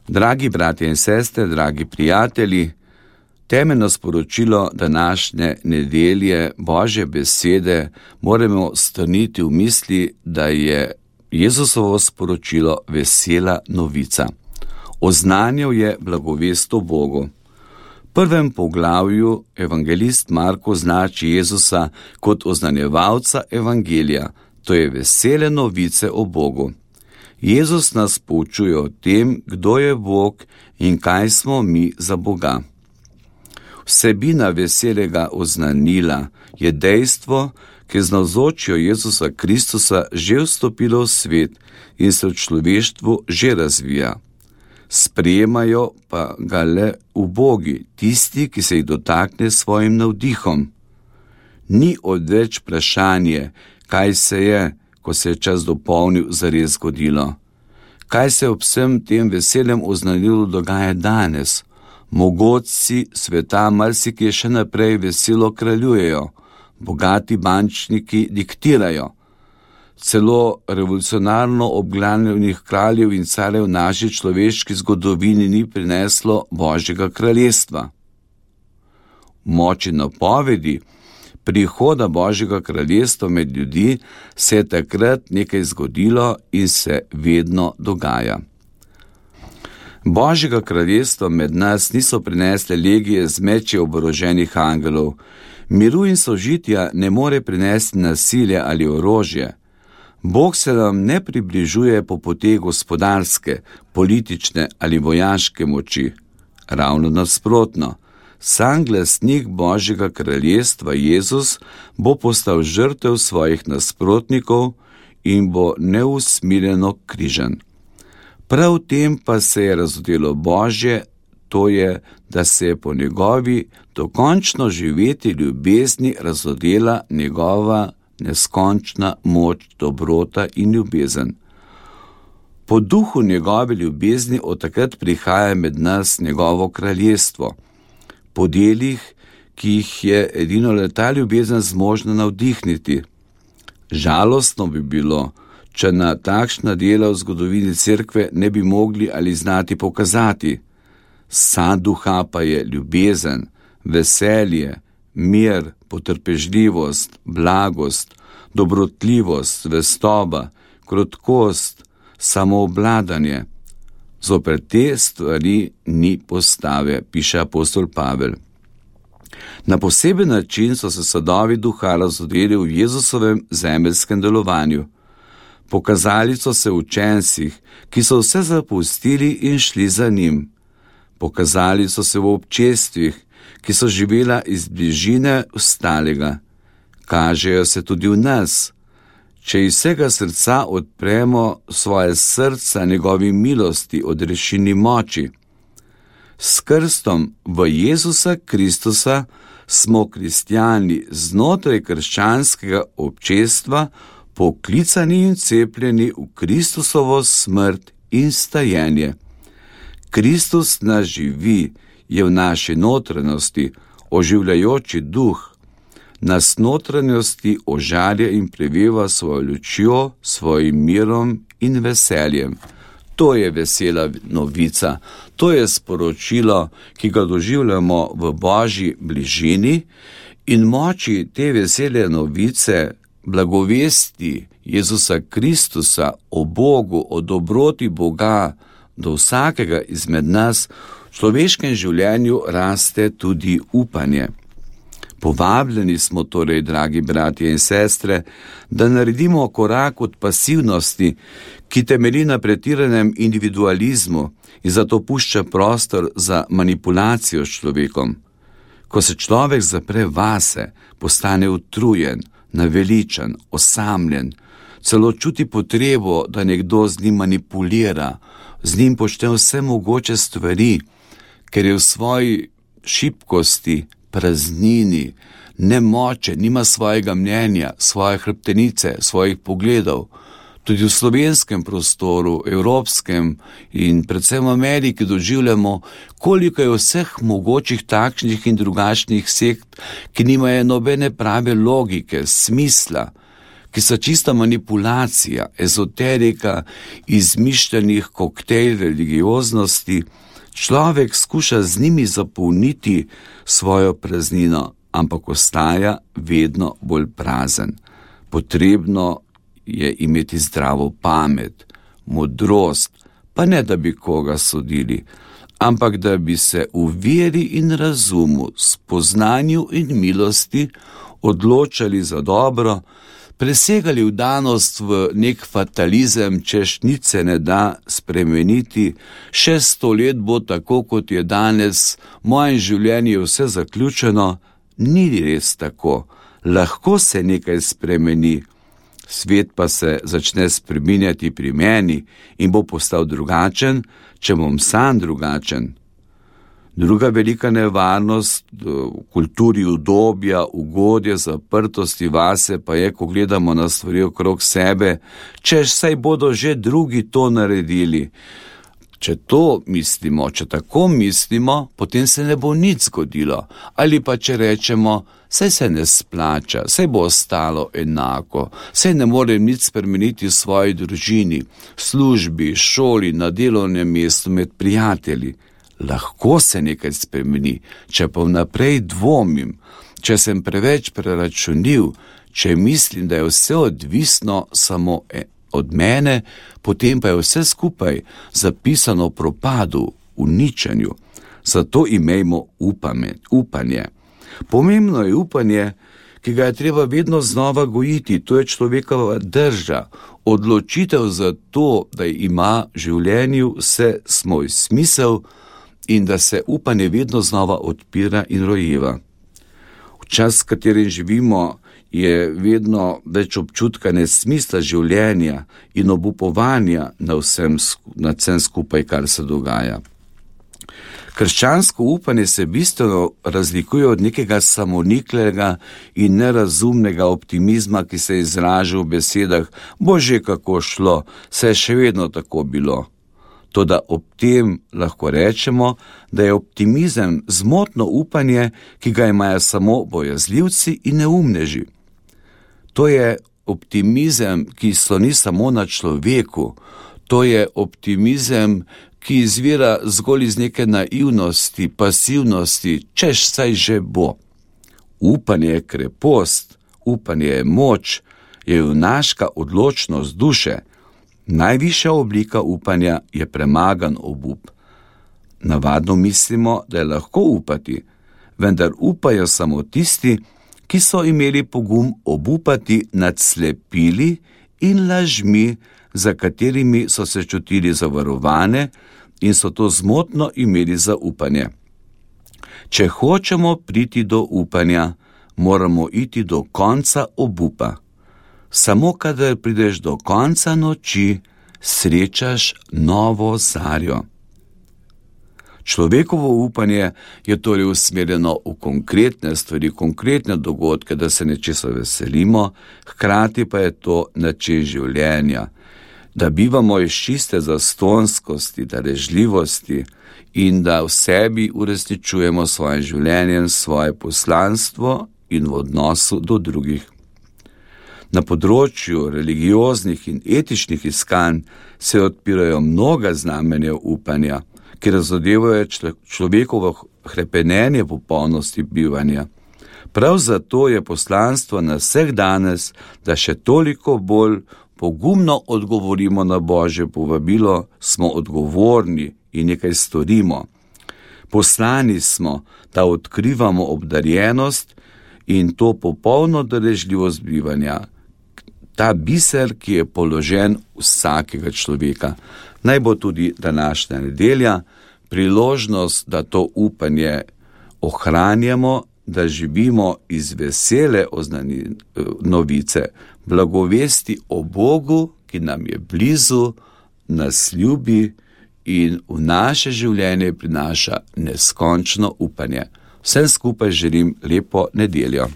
Dragi bratje in sestre, dragi prijatelji, temeljno sporočilo današnje nedelje Božje besede moramo strniti v misli, da je Jezusovo sporočilo vesela novica. Oznanjal je blagovest o Bogu. V prvem poglavju evangelist Marko označi Jezusa kot oznanjevalca evangelija, to je vesele novice o Bogu. Jezus nas poučuje o tem, kdo je Bog in kaj smo mi za Boga. Vsebina veselega oznanila je dejstvo, ki je z navzočjo Jezusa Kristusa že vstopilo v svet in se v človeštvu že razvija. Sprejemajo pa ga le ubogi, tisti, ki se jih dotakne s svojim navdihom. Ni odveč vprašanje, kaj se je, ko se je čas dopolnil, zares zgodilo. Kaj se ob vsem tem veselem oznanilu dogaja danes? Mogoci sveta marsikje še naprej veselo kraljujejo, bogati bančniki diktirajo. Celo revolucionarno obglavljenih kraljev in carjev v naši človeški zgodovini ni prineslo Božjega kraljestva. V moči napovedi prihoda Božjega kraljestva med ljudi se je takrat nekaj zgodilo in se vedno dogaja. Božjega kraljestva med nas niso prinesle legije z meči oboroženih angelov. Miru in sožitja ne more prinesti nasilje ali orožje. Bog se nam ne približuje po poti gospodarske, politične ali vojaške moči. Ravno nasprotno. Sam glasnik Božjega kraljestva Jezus bo postal žrtev svojih nasprotnikov in bo neusmiljeno križan. Prav v tem pa se je razodelo Božje, to je, da se je po njegovi dokončno živeti ljubezni razodela njegova neskončna moč, dobrota in ljubezen. Po duhu njegove ljubezni od takrat prihaja med nas njegovo kraljestvo. Po delih, ki jih je edino le ta ljubezen zmožna navdihniti. Žalostno bi bilo, če na takšna dela v zgodovini cerkve ne bi mogli ali znati pokazati. Sad duha pa je ljubezen, veselje, mir, potrpežljivost, blagost, dobrotljivost, zvestoba, krotkost, samoobladanje. Zoper te stvari ni postave, piše apostol Pavel. Na poseben način so se sadovi duha razodeli v Jezusovem zemeljskem delovanju. Pokazali so se v učencih, ki so vse zapustili in šli za njim. Pokazali so se v občestvih, ki so živela iz bližine ostalega. Kažejo se tudi v nas. Če iz vsega srca odpremo svoje srca njegovi milosti, odrešini moči. S krstom v Jezusa Kristusa smo kristjani znotraj krščanskega občestva poklicani in cepljeni v Kristusovo smrt in stajenje. Kristus nas živi, je v naši notranjosti, oživljajoči duh, nas notranjosti ožarja in preveva svojo lučjo, svojim mirom in veseljem. To je vesela novica, to je sporočilo, ki ga doživljamo v Božji bližini in moči te vesele novice, blagovesti Jezusa Kristusa o Bogu, o dobroti Boga do vsakega izmed nas, v človeškem življenju raste tudi upanje. Povabljeni smo torej, dragi bratje in sestre, da naredimo korak od pasivnosti, ki temelji na pretiranem individualizmu in zato pušča prostor za manipulacijo s človekom. Ko se človek zapre vase, postane utrujen, naveličan, osamljen, celo čuti potrebo, da nekdo z njim manipulira, z njim počne vse mogoče stvari, ker je v svoji šibkosti, praznini, nemoče, nima svojega mnenja, svoje hrbtenice, svojih pogledov. Tudi v slovenskem prostoru, evropskem in predvsem v Ameriki doživljamo, koliko je vseh mogočih takšnih in drugačnih sekt, ki nimajo nobene prave logike, smisla, ki so čista manipulacija, ezoterika, izmišljenih koktejl religioznosti, človek skuša z njimi zapolniti svojo praznino, ampak ostaja vedno bolj prazen. Potrebno je imeti zdravo pamet, modrost, pa ne da bi koga sodili, ampak da bi se v veri in razumu, spoznanju in milosti odločali za dobro, presegali vdanost v nek fatalizem, češ nič se ne da spremeniti, še 100 let bo tako, kot je danes, moje življenje je vse zaključeno. Ni res tako, lahko se nekaj spremeni, svet pa se začne spreminjati pri meni in bo postal drugačen, če bom sam drugačen. Druga velika nevarnost v kulturi udobja, ugodja, zaprtosti vase pa je, ko gledamo na stvari okrog sebe, češ saj bodo že drugi to naredili. Če to mislimo, če tako mislimo, potem se ne bo nič zgodilo. Ali pa če rečemo, saj se ne splača, saj bo ostalo enako, saj ne morem nič spremeniti v svoji družini, službi, šoli, na delovnem mestu, med prijatelji. Lahko se nekaj spremeni, če pa vnaprej dvomim, če sem preveč preračunljiv, če mislim, da je vse odvisno samo od mene, potem pa je vse skupaj zapisano v propadu, uničenju. Zato imejmo upanje. Pomembno je upanje, ki ga je treba vedno znova gojiti, to je človekova drža, odločitev za to, da ima v življenju vse svoj smisel in da se upanje vedno znova odpira in rojeva. V čas, v katerem živimo, je vedno več občutka nesmisla življenja in obupovanja na vsem skupaj, kar se dogaja. Krščansko upanje se bistveno razlikuje od nekega samoniklega in nerazumnega optimizma, ki se izraža v besedah, bo že kako šlo, se je še vedno tako bilo. Toda ob tem lahko rečemo, da je optimizem zmotno upanje, ki ga imajo samo bojazljivci in neumneži. To je optimizem, ki sloni samo na človeku, to je optimizem, ki izvira zgolj iz neke naivnosti, pasivnosti, češ saj že bo. Upanje je krepost, upanje je moč, je junaška odločnost duše. Najvišja oblika upanja je premagan obup. Navadno mislimo, da je lahko upati, vendar upajo samo tisti, ki so imeli pogum obupati nad slepili in lažmi, za katerimi so se čutili zavarovane in so to zmotno imeli za upanje. Če hočemo priti do upanja, moramo iti do konca obupa. Samo kadar prideš do konca noči, srečaš novo zarjo. Človekovo upanje je torej usmerjeno v konkretne stvari, konkretne dogodke, da se nečesa veselimo, hkrati pa je to način življenja, da bivamo iz čiste zastonskosti, darežljivosti in da v sebi uresničujemo svoje življenje, svoje poslanstvo in v odnosu do drugih. Na področju religioznih in etičnih iskanj se odpirajo mnoga znamenja upanja, ki razodevajo človekovo hrepenenje popolnosti bivanja. Prav zato je poslanstvo na vseh danes, da še toliko bolj pogumno odgovorimo na Božje povabilo, smo odgovorni in nekaj storimo. Poslani smo, da odkrivamo obdarjenost in to popolno darežljivost bivanja. Ta biser, ki je položen vsakega človeka. Naj bo tudi današnja nedelja priložnost, da to upanje ohranjamo, da živimo iz vesele novice, blagovesti o Bogu, ki nam je blizu, nas ljubi in v naše življenje prinaša neskončno upanje. Vsem skupaj želim lepo nedeljo.